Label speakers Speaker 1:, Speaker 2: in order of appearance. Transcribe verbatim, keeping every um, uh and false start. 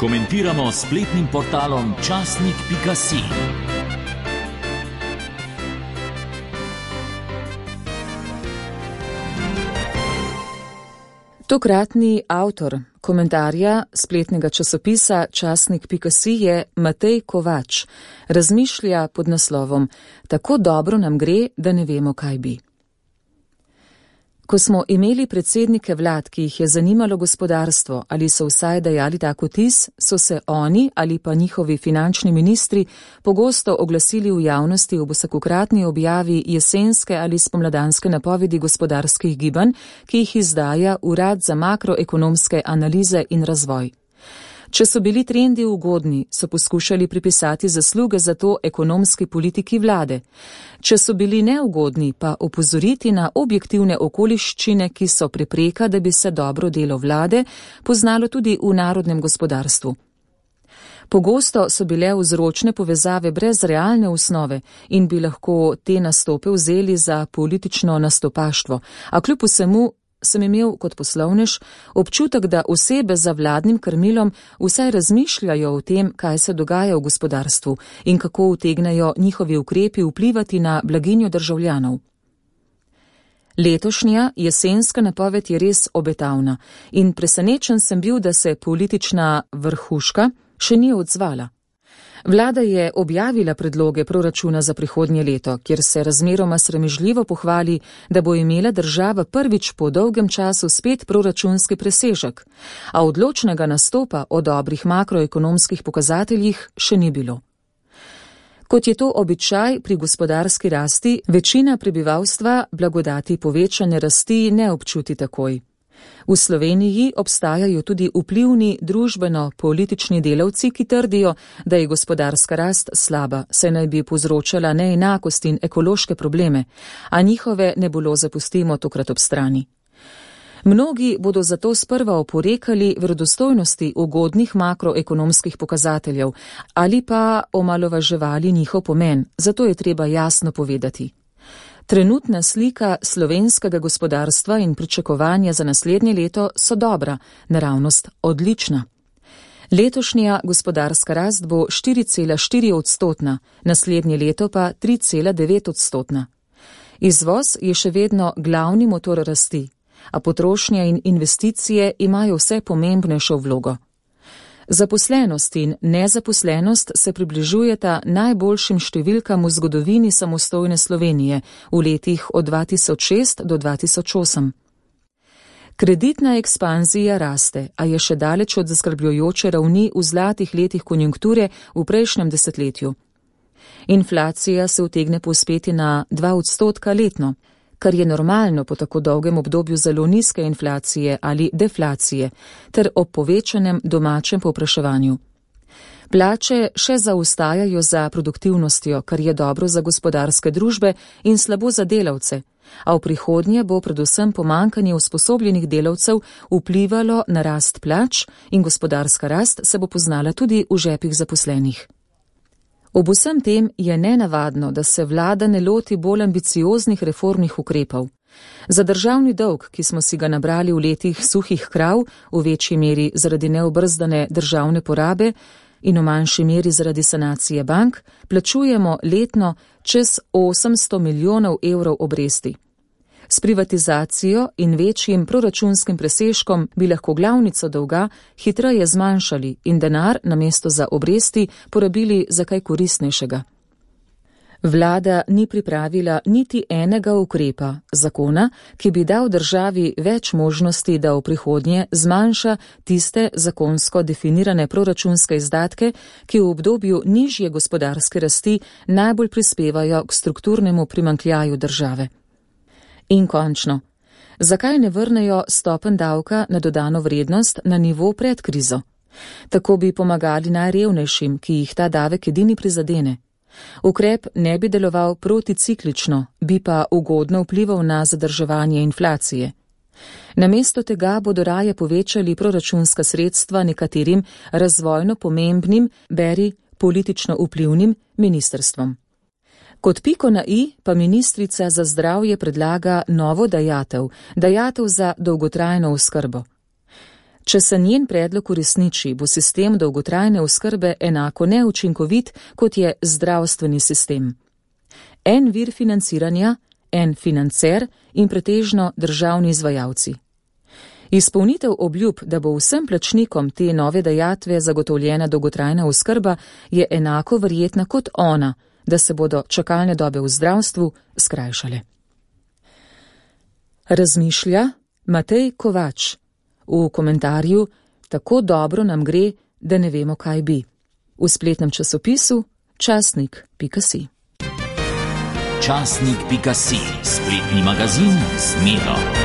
Speaker 1: Komentiramo s spletnim portalom časnik pika si.
Speaker 2: Tokratni avtor komentarja spletnega časopisa časnik pika si je Matej Kovač. Razmišlja pod naslovom Tako dobro nam gre, da ne vemo, kaj bi. Ko smo imeli predsednike vlad, ki jih je zanimalo gospodarstvo ali so vsaj dajali tak vtis, so se oni ali pa njihovi finančni ministri pogosto oglasili v javnosti ob vsakokratni objavi jesenske ali spomladanske napovedi gospodarskih gibanj, ki jih izdaja Urad za makroekonomske analize in razvoj. Če so bili trendi ugodni, so poskušali pripisati zasluge za to ekonomski politiki vlade. Če so bili neugodni, pa opozoriti na objektivne okoliščine, ki so prepreka, da bi se dobro delo vlade poznalo tudi v narodnem gospodarstvu. Pogosto so bile vzročne povezave brez realne osnove in bi lahko te nastope vzeli za politično nastopaštvo, a kljub vsemu sem imel kot poslovnež občutek, da osebe za vladnim krmilom vsaj razmišljajo o tem, kaj se dogaja v gospodarstvu in kako utegnejo njihovi ukrepi vplivati na blaginjo državljanov. Letošnja jesenska napoved je res obetavna in presenečen sem bil, da se politična vrhuška še ni odzvala. Vlada je objavila predloge proračuna za prihodnje leto, kjer se razmeroma sramežljivo pohvali, da bo imela država prvič po dolgem času spet proračunski presežek, a odločnega nastopa o dobrih makroekonomskih pokazateljih še ni bilo. Kot je to običaj pri gospodarski rasti, večina prebivalstva blagodati povečane rasti ne občuti takoj. V Sloveniji obstajajo tudi vplivni družbeno-politični delavci, ki trdijo, da je gospodarska rast slaba, saj naj bi povzročala neenakost in ekološke probleme, a njihove nebuloze pustimo tokrat ob strani. Mnogi bodo zato sprva oporekali verodostojnosti ugodnih makroekonomskih pokazateljev ali pa omalovaževali njihov pomen, zato je treba jasno povedati. Trenutna slika slovenskega gospodarstva in pričakovanja za naslednje leto so dobra, naravnost odlična. Letošnja gospodarska rast bo štiri cela štiri odstotna, naslednje leto pa tri cela devet odstotna. Izvoz je še vedno glavni motor rasti, a potrošnja in investicije imajo vse pomembnejšo vlogo. Zaposlenost in nezaposlenost se približujeta najboljšim številkam v zgodovini samostojne Slovenije v letih od dva tisoč šest do dva tisoč osem. Kreditna ekspanzija raste, a je še daleč od zaskrbljujoče ravni v zlatih letih konjunkture v prejšnjem desetletju. Inflacija se utegne povzpeti na dva odstotka letno, kar je normalno po tako dolgem obdobju zelo nizke inflacije ali deflacije, ter ob povečanem domačem povpraševanju. Plače še zaostajajo za produktivnostjo, kar je dobro za gospodarske družbe in slabo za delavce, a v prihodnje bo predvsem pomanjkanje usposobljenih delavcev vplivalo na rast plač in gospodarska rast se bo poznala tudi v žepih zaposlenih. Ob vsem tem je nenavadno, da se vlada ne loti bolj ambicioznih reformnih ukrepov. Za državni dolg, ki smo si ga nabrali v letih suhih krav, v večji meri zaradi neobrzdane državne porabe in v manjši meri zaradi sanacije bank, plačujemo letno čez osemsto milijonov evrov obresti. S privatizacijo in večjim proračunskim presežkom bi lahko glavnico dolga hitreje zmanjšali in denar namesto za obresti porabili za kaj koristnejšega. Vlada ni pripravila niti enega ukrepa, zakona, ki bi dal državi več možnosti, da v prihodnje zmanjša tiste zakonsko definirane proračunske izdatke, ki v obdobju nižje gospodarske rasti najbolj prispevajo k strukturnemu primanjkljaju države. In končno, zakaj ne vrnejo stopenj davka na dodano vrednost na nivo pred krizo? Tako bi pomagali najrevnejšim, ki jih ta davek edini prizadene. Ukrep ne bi deloval proticiklično, bi pa ugodno vplival na zadrževanje inflacije. Namesto tega bodo raje povečali proračunska sredstva nekaterim razvojno pomembnim, beri politično vplivnim ministrstvom. Kot piko na i pa ministrica za zdravje predlaga novo dajatev, dajatev za dolgotrajno oskrbo. Če se njen predlog uresniči, bo sistem dolgotrajne oskrbe enako neučinkovit, kot je zdravstveni sistem. En vir financiranja, en financer in pretežno državni izvajalci. Izpolnitev obljub, da bo vsem plačnikom te nove dajatve zagotovljena dolgotrajna oskrba, je enako verjetna kot ona, da se bodo čakalne dobe v zdravstvu skrajšale. Razmišlja Matej Kovač v komentarju Tako dobro nam gre, da ne vemo, kaj bi. V spletnem časopisu časnik pika si.
Speaker 1: časnik pika si, spletni magazin z Medo.